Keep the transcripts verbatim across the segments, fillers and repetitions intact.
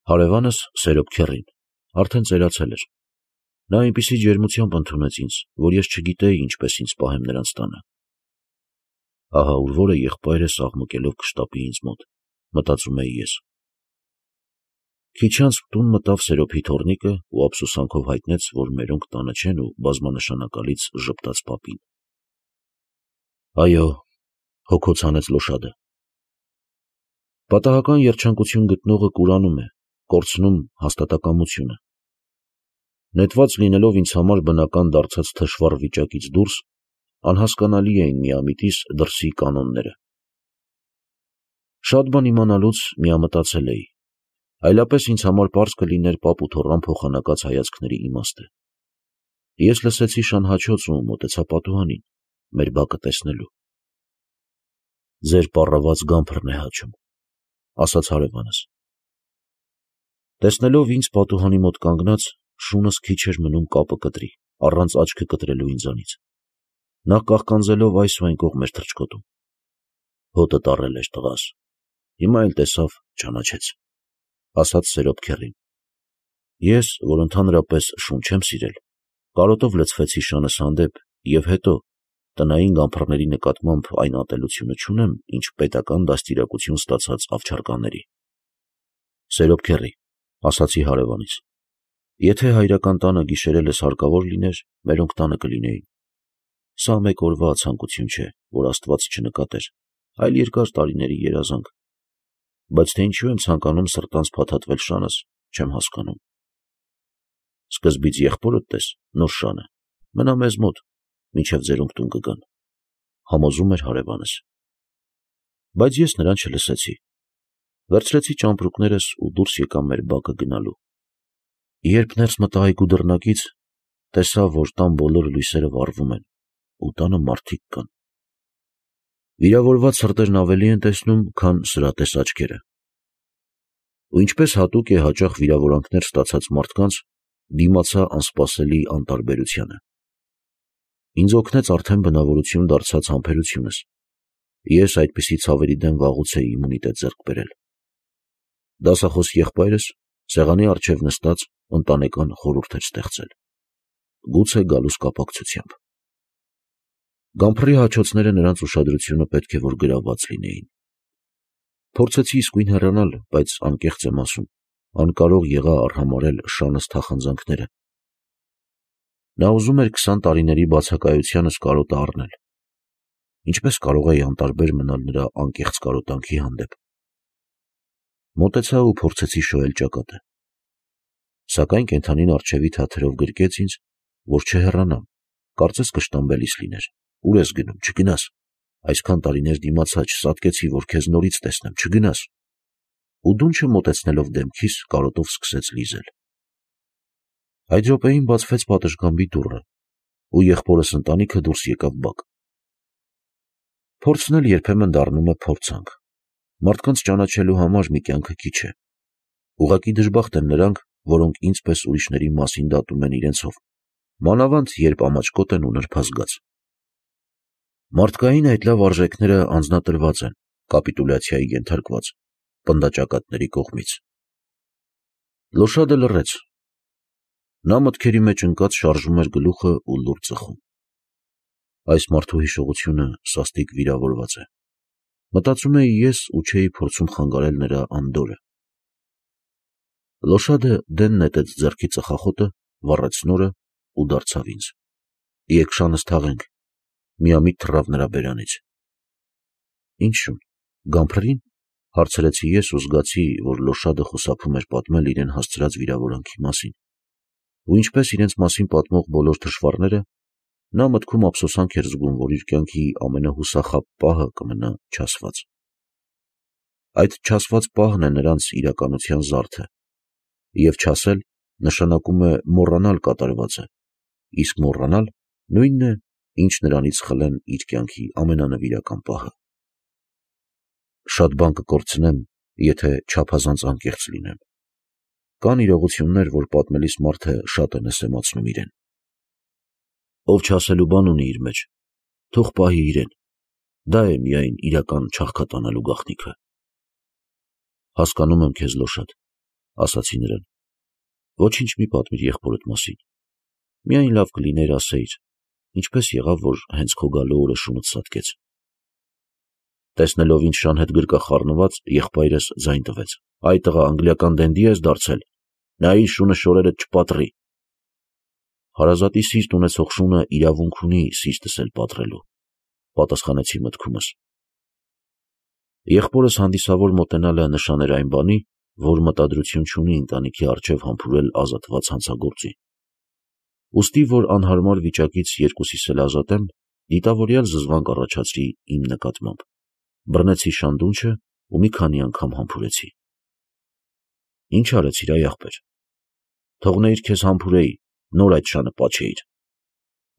Հարևանս Սերոբ քեռին արդեն ծերացել էր։ Նա այնպիսի ջերմությամբ ընդունեց ինձ, որ ես չգիտեի ինչպես ինձ պահեմ նրանց տանը։ Ահա ուր որը եղբայրս աղմկելով կշտապի ինձ մոտ, մտածում էի ես։ Քիչ անց տուն մտավ Սերոբի թոռնիկը ու ափսոսանքով հայտնեց, որ մերոնք տանը չեն ու բազմանշանակալից ժպտաց պապին։ Այո, հոգոց հանեց Լոշադը։ Պատահական երջանկություն գտնողը կուրանում է, կորցնում հաստատակամությունը։ Նետված լինելով ինձ համար բնական դարձած թշվառ վիճակից դուրս, անհասկանալի էին միամիտիս դրսի կանոնները։ Շատ բան իմանալուց միամտածել էի, այլապես ինձ համար պարզ կլիներ պապ ու թոռան փոխանակած հայացքների իմաստը։ Ես լսեցի շանհաչոց ու մոտեցա պատուհանին, մեր բակը տեսնելու։ Ձեր պառաված գամփրն է հաչում, ասաց հարևանս։ Տեսնելով ինձ պատուհանի մոտ կանգնած, շունս քիչ էր մնում կապը կտրի, առանց աչքը կտրելու ինձանից։ Նա կաղկանձելով այս ու այն կողմ էր թռչկոտում։ Հոտը տառել էր տղաս, հիմա էլ տեսավ, ճանաչեց, ասաց Սերոբ քեռին։ Ես, որ ընդհանրապես շուն չեմ սիրել, կարոտով լցվեցի շանս հանդեպ և հետո, տնային գամփռների նկատմամբ այն ատելությունը չունեմ, ինչ պետական դաստիարակություն ստացած ավչարկանների։ Սերոբ քեռի, ասացի հարևանիս, եթե հայրական տանը գիշերելս հարկավոր լիներ, մերոնք տանը կլինեին։ Սա մեկ օրվա ցանկություն չէ, որ Աստված չնկատեր, այլ երկար տարիների երազանք։ Բայց թե ինչու եմ ցանկանում սրտանց փաթաթվել շանս, չեմ հասկանում։ Սկզբից եղբորդ տես, նոր շանը, մնա մեզ մոտ, մինչև ձերոնք տուն կգան, համոզում էր հարևանս։ Բայց ես նրան չլսեցի։ Վերցրեցի ճամպրուկներս ու դուրս եկա մեր բակը գնալու։ Երբ ներս մտա այգու դռնակից, տեսա, որ տան բոլոր լույսերը վառվում են ու տանը մարդիկ կան։ Վիրավորված սրտերն ավելի են տեսնում, քան սրատես աչքերը։ Ու ինչպես հատուկ է հաճախ վիրավորանքներ ստացած մարդկանց, դիմացա անսպասելի անտարբերությանը։ Ինձ օգնեց արդեն բնավորություն դարձած համբերությունս։ Ես այդպիսի ցավերի դեմ վաղուց էի իմունիտետ ձեռք բերել։ Դասախոս եղբայրս սեղանի առջև նստած ընտանեկան խորհուրդ էր ստեղծել, գուցե գալուս կապակցությամբ։ Գամփռի հաչոցները նրանց ուշադրությունը պետք է որ գրաված լինեին։ Փորձեցի իսկույն հեռանալ, բայց անկեղծ եմ ասում, անկարող եղա արհամարհել շանս թախանձանքները։ Նա ուզում էր քսան տարիների բացակայությանս կարոտը առնել։ Ինչպես կարող էի անտարբեր մնալ նրա անկեղծ կարոտանքի հանդեպ։ Մոտեցա ու փորձեցի շոյել ճակատը։ Սակայն կենդանին առջևի թաթերով գրկեց ինձ, որ չհեռանամ, կարծես կշտամբելիս լիներ։ Ուր ես գնում, չգնաս, այսքան տարիներ դիմացա, չսատկեցի, որ քեզ նորից տեսնեմ, չգնաս։ Ու դունչը մոտեցնելով դեմքիս, կարոտով սկսեց լիզել։ Այդ րոպեին բացվեց պատշգամբի դուռը, ու եղբորս ընտանիքը դուրս եկավ բակ։ Փորձն էլ երբեմն դառնում է փորձանք։ Մարդկանց ճանաչելու համար մի կյանքը քիչ է։ Ուղղակի դժբախտ են նրանք, որոնք ինձ պես ուրիշների մասին դատում են իրենցով, մանավանդ երբ ամաչկոտ են ու նրբազգաց։ Մարդկային այդ լավ արժեքները անձնատրված են, կապիտուլյացիայի ենթարկված, պնդաճակատների կողմից։ Լոշադը լռեց։ Նա մտքերի մեջ ընկած շարժում էր գլուխը ու լուր ծխում։ Այս մարդու հիշողությունը սաստիկ վիրավորված է, մտածում էի ես ու չէի փորձում խանգարել նրա անդորրը։ Լոշադը դեն նետեց ձեռքի ծխախոտը, վառեց նորը ու դարձավ ինձ։ Եկ շանս թաղենք, միամիտ թռավ նրա բերանից։ Ինչ շուն, գամփրին, հարցրեցի ես ու զգացի, որ Լոշադը խուսափում էր պատմել իրեն հասցրած վիրավորանքի մասին, ու ինչպես իրենց մասին պատմող բոլոր թշվառները, նա մտքում ափսոսանք էր զգում, որ իր կյանքի ամենահուսախաբ պահը կմնա չասված։ Այդ չասված պահն է նրանց իրականության զարդը, և չասել նշանակում է մոռանալ կատարվածը, իսկ մոռանալ նույնն է, ինչ նրանից խլեն իր կյանքի ամենանվիրական պահը։ Շատ բան կկորցնեմ, եթե չափազանց անկեղծ լինեմ։ Կան իրողություններ, որ պատմելիս մարդը շատ է նսեմացնում իրեն։ Ով չասելու բան ունի իր մեջ, թող պահի իրեն, դա է միայն իրական չաղքատանալու գաղտնիքը։ Հասկանում եմ քեզ, Լոշադ, ասացի նրան, ոչինչ մի պատմիր եղբորդ մասին, միայն լավ կլիներ ասեիր, ինչպես եղավ, որ հենց քո գալու օրը շունդ սատկեց։ Տեսնելով ինձ շան հետ գրկա խառնված, եղբայրս ձայն տվեց. «Այ տղա, անգլիական դենդի ես դարձել, նայիր շունը շորերդ չպատրի»։ Հարազատի սիրտ ունեցող շունը իրավունք ունի սիրտս էլ պատռելու, պատասխանեցի մտքումս։ Եղբորս հանդիսավոր մոտենալը նշան էր այն բանի, որ մտադրություն չունի ընտանիքի առջև համբուրել ազատված հանցագործի։ Ուստի, որ անհարմար վիճակից երկուսիս էլ ազատեմ, դիտավորյալ զզվանք առաջացրի իմ նկատմամբ, բռնեցի շանդունչը ու մի քանի անգամ համբուրեցի։ Ինչ արեցիր, այ ախպեր։ Թողնեիր քեզ համբուրեի, նոր այդ շանը պաչեիր։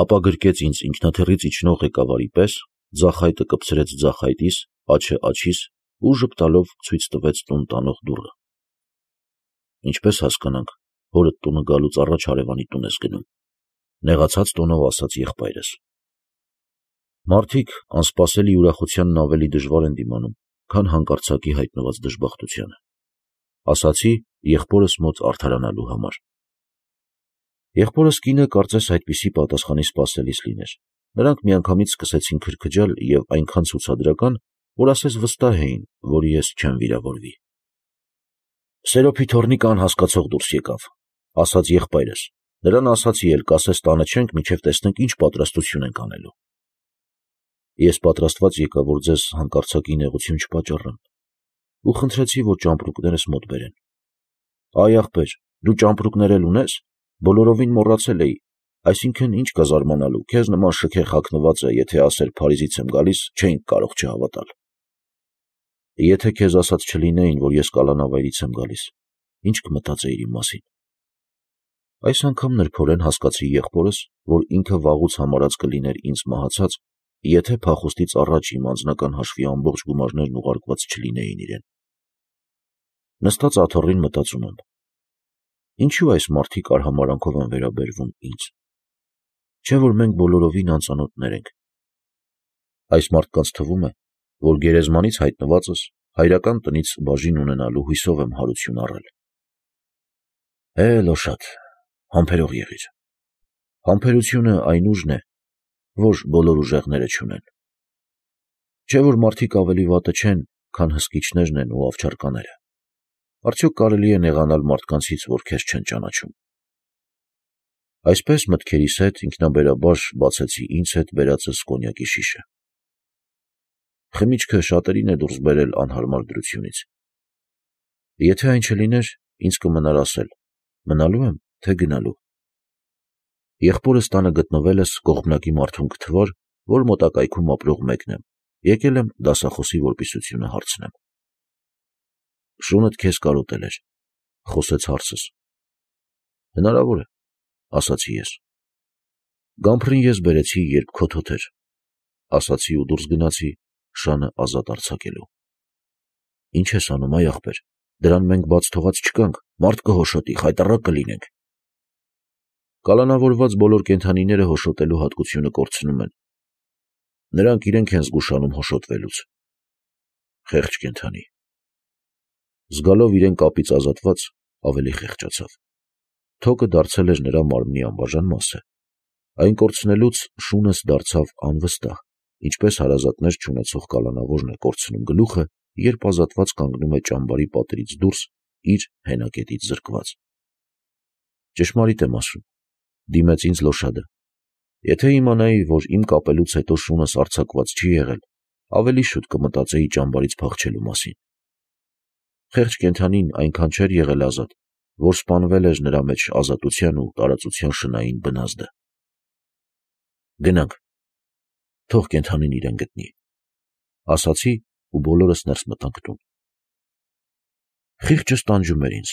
Ապա գրկեց ինձ ինքնաթիռից իջնող ղեկավարի պես, ձախայտը կպցրեց ձախայտիս, աջը աջիս ու ժպտալով ցույց տվեց տուն տանող դուռը։ Ինչպես հասկանանք, հորդ տունը գալուց առաջ հարևանի տուն ես գնում, նեղացած տոնով ասաց եղբայրս։ Մարդիկ անսպասելի ուրախությանն ավելի դժվար են դիմանում, քան հանկարծակի հայտնված դժբախտությանը, ասացի եղբորս մոտ արդարանալու համար։ Եղբորս կինը կարծես այդպիսի պատասխանի սպասելիս լիներ, նրանք միանգամից սկսեցին քրքջալ և այնքան ցուցադրական, որ ասես վստահ էին, որ ես չեմ վիրավորվի։ Սերոփի թոռնիկը անհասկացող դուրս եկավ, ասաց եղբայրս, նրան ասացի էլ կասես տանը չենք, մինչև տեսնենք ինչ պատրաստություն ենք անելու։ Ես պատրաստված եկա, որ ձեզ հանկարծակի նեղություն չպատճառեմ, ու խնդրեցի, որ ճամպրուկներս մոտ բերեն։ Այ ախպեր, դու ճամպրուկներ էլ ունես, բոլորովին մոռացել էի, այսինքն ինչ կա զարմանալու, քեզ նման շքեղ հագնվածը, եթե ասեր Փարիզից եմ գալիս, չէինք կարող չհավատալ։ Եթե քեզ ասած չլինեին, որ ես կալանավայրից եմ գալիս, ինչ կմտածեիր իմ մասին։ Այս անգամ նրբորեն հասկացի եղբորս, որ ինքը վաղուց համարած կլիներ ինձ մահացած, եթե փախուստից առաջ իմ անձնական հաշվի ամբողջ գումարներն ուղարկված չլինեին իրեն։ Նստած աթոռին մտածում եմ. ինչու այս մարդիկ արհամարհանքով են վերաբերվում ինձ։ Չէ՞ որ մենք բոլորովին անծանոթներ ենք։ Այս մարդկանց թվում է, որ գերեզմանից հայտնվածս հայրական տնից բաժին ունենալու հույսով եմ հարություն առել։ Է, լոշատ, համբերող եղիր։ Համբերությունը այն ուժն է, որ բոլոր ուժեղները չունեն։ Չէ՞ որ մարդիկ ավելի վատը չեն, քան հսկիչներն են ու ավճարկաները։ Արդյոք կարելի է նեղանալ մարդկանցից, որ քեզ չեն ճանաչում։ Այսպես մտքերիս հետ ինքնաբերաբար բացեցի ինձ հետ բերածս կոնյակի շիշը։ Խմիչքը շատերին է դուրս բերել անհարմար դրությունից։ Եթե այն չլիներ, ինձ կմնար ասել, մնալու եմ, թե գնալու։ Եղբորս տանը գտնվելս կողմնակի մարդուն կթվար, որ մոտակայքում ապրող մեկն եմ, եկել եմ դասախոսի որպիսությունը հարցնեմ։ Շունդ քեզ կարոտել էր, խոսեց հարցս։ Հնարավոր է, ասացի ես։ Գամփրին ես բերեցի, երբ քոթոթ էր, ասացի ու դուրս գնացի, շանը ազատ արձակելու։ Ինչ ես անում, այ ախպեր, դրան մենք բաց թողած չկանք, մարդ կհոշոտի, խայտառակ կլինենք։ Կալանավորված բոլոր կենդանիները հոշոտելու հատկությունը կորցնում են։ Նրանք իրենք են զգուշանում հոշոտվելուց։ Խեղճ կենդանի։ Զգալով իրեն կապից ազատված, ավելի խեղճացավ։ Թոկը դարձել էր նրա մարմնի անբաժան մասը։ Այն կորցնելուց շունս դարձավ անվստահ, ինչպես հարազատներ չունեցող կալանավորն է կորցնում գլուխը, երբ ազատված կանգնում է ճամբարի պատերից դուրս, իր հենակետից զրկված։ Ճշմարիտ եմ ասում, դիմեց ինձ լոշադը։ Եթե իմանայի, որ իմ կապելուց հետո շունս արձակված չի եղել, ավելի շուտ կմտածեի ճամբարից փախչելու մասին։ Խեղճ կենդանին այնքան չէր եղել ազատ, որ սպանվել էր նրա մեջ ազատության ու տարածության շնային բնազդը։ Գնանք, թող կենդանին իրեն գտնի, ասացի ու բոլորս ներս մտանք տուն։ Խիղճս տանջում էր ինձ։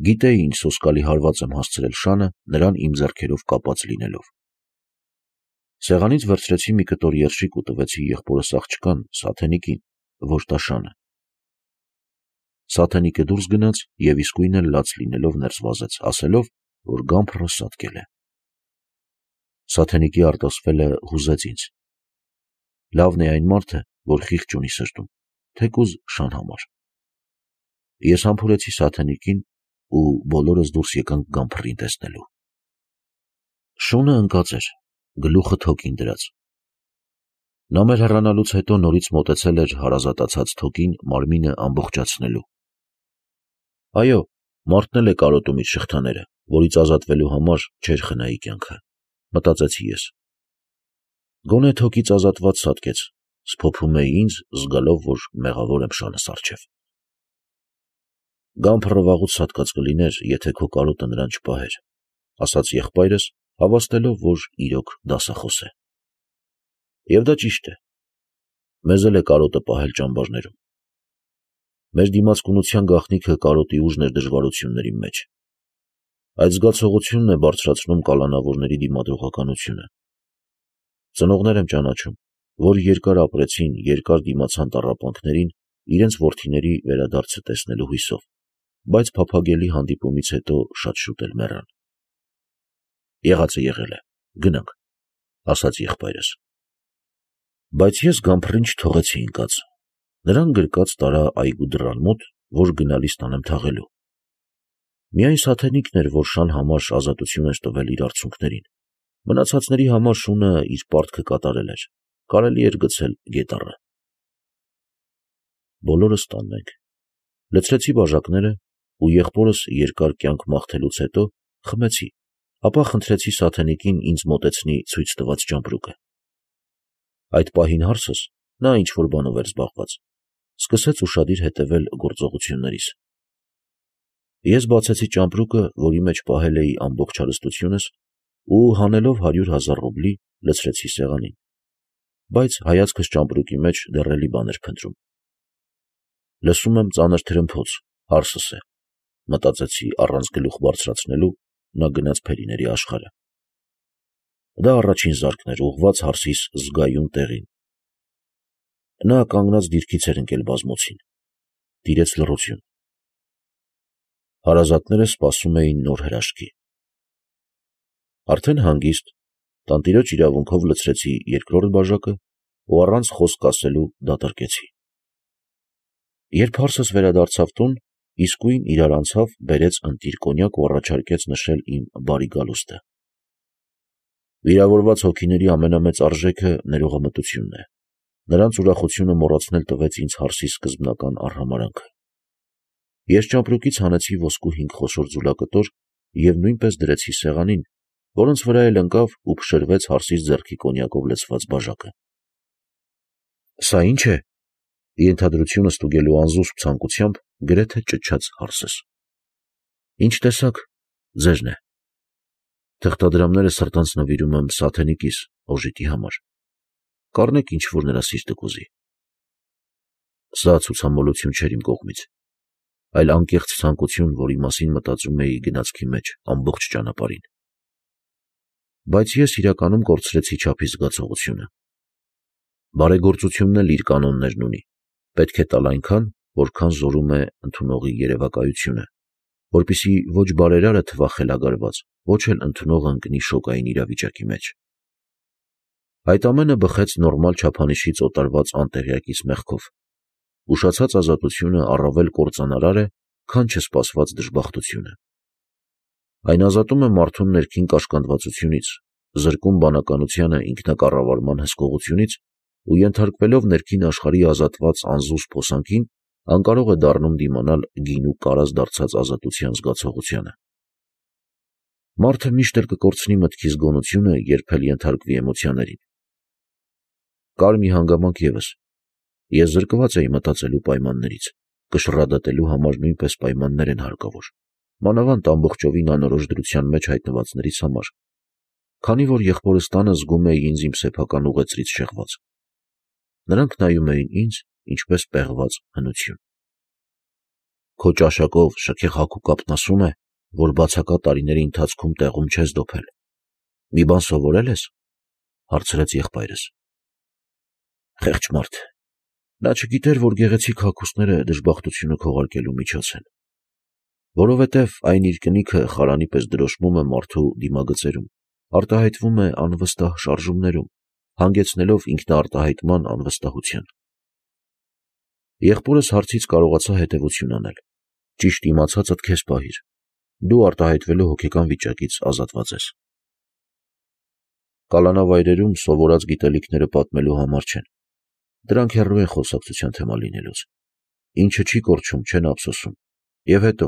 Գիտեի ինչ սոսկալի հարված եմ հասցրել շանը, նրան իմ ձեռքերով կապած լինելով։ Սեղանից վերցրեցի մի կտոր երշիկ ու տվեցի եղբորս աղջկան, Սաթենիկին, որ տա շանը։ Սաթենիկը դուրս գնաց և իսկույն էլ լաց լինելով ներս վազեց, ասելով, որ գամփրը սատկել է։ Սաթենիկի արտասվելը հուզեց ինձ։ Լավն է այն մարդը, որ խիղճ ունի սրտում, թեկուզ շան համար։ Ես համբուրեցի սաթենիկին ու բոլորս դուրս եկանք Գամփռին տեսնելու։ Շունը ընկած էր, գլուխը թոկին դրած։ Նա մեր հեռանալուց հետո նորից մոտեցել էր հարազատացած թոկին մարմինը ամբողջացնելու։ Այո, մարդն էլ է կարոտում իր շղթաները, որից ազատվելու համար չէր խնայի կյանքը, մտածեցի ես։ Գոնե թոկից ազատված սատկեց, սփոփում էի ինձ, զգալով, որ մեղավոր եմ շանս առջև։ Գամփռը վաղուց սատկած կլիներ, եթե քո կարոտը նրան չպահեր, ասաց եղբայրս, հավաստելով, որ իրոք դասախոս է։ Եվ դա ճիշտ է։ Մեզ էլ է կարոտը պահել ճամբարներում։ Մեր դիմացկունության գաղտնիքը կարոտի ուժն էր դժվարությունների մեջ։ Այդ զգացողությունն է բարձրացնում կալանավորների դիմադրողականությունը։ Ծնողներ եմ ճանաչում, որ երկար ապրեցին, երկար դիմացան տառապանքներին իրենց որդիների վերադարձը տեսնելու հույսով, բայց փափագելի հանդիպումից հետո շատ շուտ էլ մեռան։ Եղածը եղել է, գնանք, ասաց եղբայրս։ Բայց ես Գամփռին չթողեցի ընկած։ Նրան գրկած տարա այգու դռան մոտ, որ գնալիս տանեմ թաղելու։ Միայն սաթենիկն էր, որ շան համար ազատություն էր տվել իր արցունքներին։ Մնացածների համար շունը իր պարտքը կատարել էր, կարելի էր գցել գետառը։ Բոլորս տանն ենք։ Լցրեցի բաժակները ու եղբորս երկար կյանք մաղթելուց հետո խմեցի, ապա խնդրեցի սաթենիկին ինձ մոտեցնի ցույց տված ճամպրուկը։ Այդ պահին հարսս, նա ինչ-որ բանով էր զբաղված, սկսեց ուշադիր հետևել գործողություններիս։ Ես բացեցի ճամպրուկը, որի մեջ պահել էի ամբողջ հարստությունս, ու հանելով հարյուր հազար ռուբլի լցրեցի սեղանին, բայց հայացքս ճամպրուկի մեջ դեռ էլի բան էր փնտրում։ Լսում եմ ծանր թրմփոց, հարսս է, մտածեցի առանց գլուխ բարձրացնելու, նա գնաց փերիների աշխարհը։ Դա առաջին զարկն էր, ուղղված հարսիս զգայուն տեղին։ Նա կանգնած դիրքից էր ընկել բազմոցին։ Տիրեց լռություն։ Հարազատները սպասում էին նոր հրաշքի։ Արդեն հանգիստ, տանտիրոջ իրավունքով լցրեցի երկրորդ բաժակը ու առանց խոսք ասելու դատարկեցի։ Երբ հարսս վերադարձավ տուն, իսկույն իրար անցավ, բերեց ընտիր կոնյակ ու առաջարկեց նշել իմ բարի գալուստը։ Վիրավորված հոգիների ամենամեծ արժեքը ներողամտությունն է։ Նրանց ուրախությունը մոռացնել տվեց ինձ հարսի սկզբնական արհամարհանքը։ Ես ճամպրուկից հանեցի ոսկու հինգ խոշոր ձուլակտոր և նույնպես դրեցի սեղանին, որոնց վրա էլ ընկավ ու փշրվեց հարսիս ձեռքի կոնյակով լցված բաժակը։ Սա ի՞նչ է, ենթադրությունը ստուգելու անզուսպ ցանկությամբ գրեթե ճչաց հարսս։ Ինչ տեսակ, ձերն է։ Թղթադրամները սրտանց նվիրում եմ սաթենիկիս, օժիտի համար։ Կառնեք ինչ որ նրա սիրտը կուզի։ Սա ցուցամոլություն չէր իմ կողմից, այլ անկեղծ ցանկություն, որի մասին մտածում էի գնացքի մեջ ամբողջ ճանապարհին։ Բայց ես իրականում կորցրեցի չափի զգացողությունը։ Բարեգործությունն էլ իր կանոններն ունի, պետք է տալ այնքան, որքան զորում է ընդունողի երևակայությունը, որպեսզի ոչ բարերարը թվա խելագարված, ոչ էլ ընդունողը ընկնի շոկային իրավիճակի մեջ։ Այդ ամենը բխեց նորմալ չափանիշից օտարված անտեղյակից մեղքով։ Ուշացած ազատությունը առավել կործանարար է, քան չսպասված դժբախտությունը։ Այն ազատում է մարդուն ներքին կաշկանդվածությունից, զրկում բանականությանը ինքնակառավարման հսկողությունից ու ենթարկվելով ներքին աշխարհի ազատված անզուսպ հոսանքին, անկարող է դառնում դիմանալ գին ու կարած դարձած ազատության զգացողությանը։ Մարդը միշտ էլ կկորցնի մտքի զգոնությունը, երբ էլ ենթարկվի էմոցիաներին։ Կար մի հանգամանք ևս։ Ես զրկված էի մտածելու պայմաններից, կշռադատելու համար նույնպես պայմաններ են հարկավոր, մանավանդ ամբողջովին անորոշ դրության մեջ հայտնվածներից համար, քանի որ եղբորս տանը զգում էի ինձ իմ սեփական ուղեծրից շեղված։ Նրանք նայում էին ինձ, ինչպես պեղված հնություն։ Քո ճաշակով շքեղ հագու կապն ասում է, որ բացակա տարիների ընթացքում տեղում չես դոփել։ Մի բան սովորել ես, հարցրեց եղբայրս։ Խեղճ մարդ, նա չգիտեր, որ գեղեցիկ հագուստները դժբախտությունը քողարկելու միջոց են, որովհետև այն իր կնիքը խարանի պես դրոշմում է մարդու դիմագծերում, արտահայտվում է անվստահ շարժումներում, հանգեցնելով ինքնաարտահայտման անվստահության։ Եղբորս հարցից կարողացա հետևություն անել։ Ճիշտ իմացածդ քեզ պահիր, դու արտահայտվելու հոգեկան վիճակից ազատված ես։ Կալանավայրերում սովորած գիտելիքները պատմելու համար չեն, դրանք հեռու են խոսակցության թեմա լինելուց, ինչը չի կորչում, չեն ափսոսում, և հետո,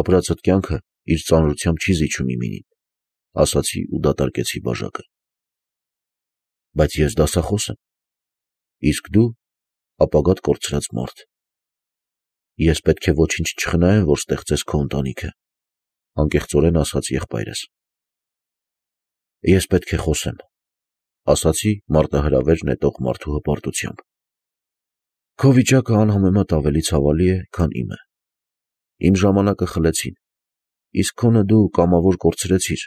ապրածդ կյանքը իր ծանրությամբ չի զիջում իմինին, ասացի ու դատարկեցի բաժակը։ Բայց ես դասախոս եմ, իսկ դու ապագադ կորցրած մարդ։ Ես պետք է ոչինչ չխնայեմ, որ ստեղծես քո ընտանիքը, անկեղծորեն ասաց եղբայրս։ Ես պետք է խոսեմ, ասացի մարտահրավեր նետող մարդու հպարտությամբ։ Քո վիճակը անհամեմատ ավելի ցավալի է, քան իմը։ Իմ ժամանակը խլեցին, իսկ քոնը դու կամավոր կորցրեցիր,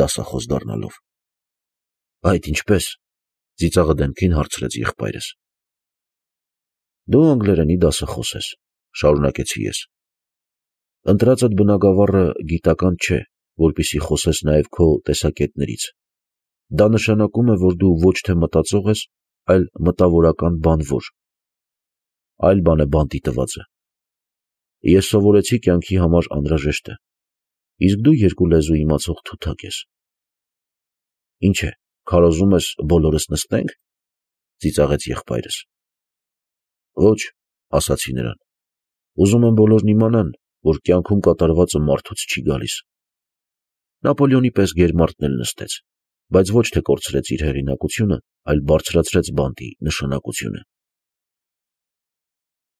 դասախոս դառնալով։ Այդ ինչպե՞ս, ծիծաղը դեմքին հարցրեց եղբայրս։ Դու անգլերենի դասախոս ես, շարունակեցի ես։ Ընտրածդ բնագավառը գիտական չէ, որպեսզի խոսես նաև քո տեսակետներից։ Դա նշանակում է, որ դու ոչ թե մտածող ես, այլ մտավորական բանվոր։ Այլ բան է բանտի տվածը։ Ես սովորեցի կյանքի համար անհրաժեշտը, իսկ դու երկու լեզու իմացող թութակ ես։ Ինչ է, քարոզում ես բոլորս նստենք, ծիծաղեց եղբայրս։ Ոչ, ասացի նրան, ուզում եմ բոլորն իմանան, որ կյանքում կատարվածը մարդուց չի գալիս։ Նապոլեոնի պես գերմարտն էլ նստեց, բայց ոչ թե կորցրեց իր հեղինակությունը, այլ բարձրացրեց բանտի նշանակությունը։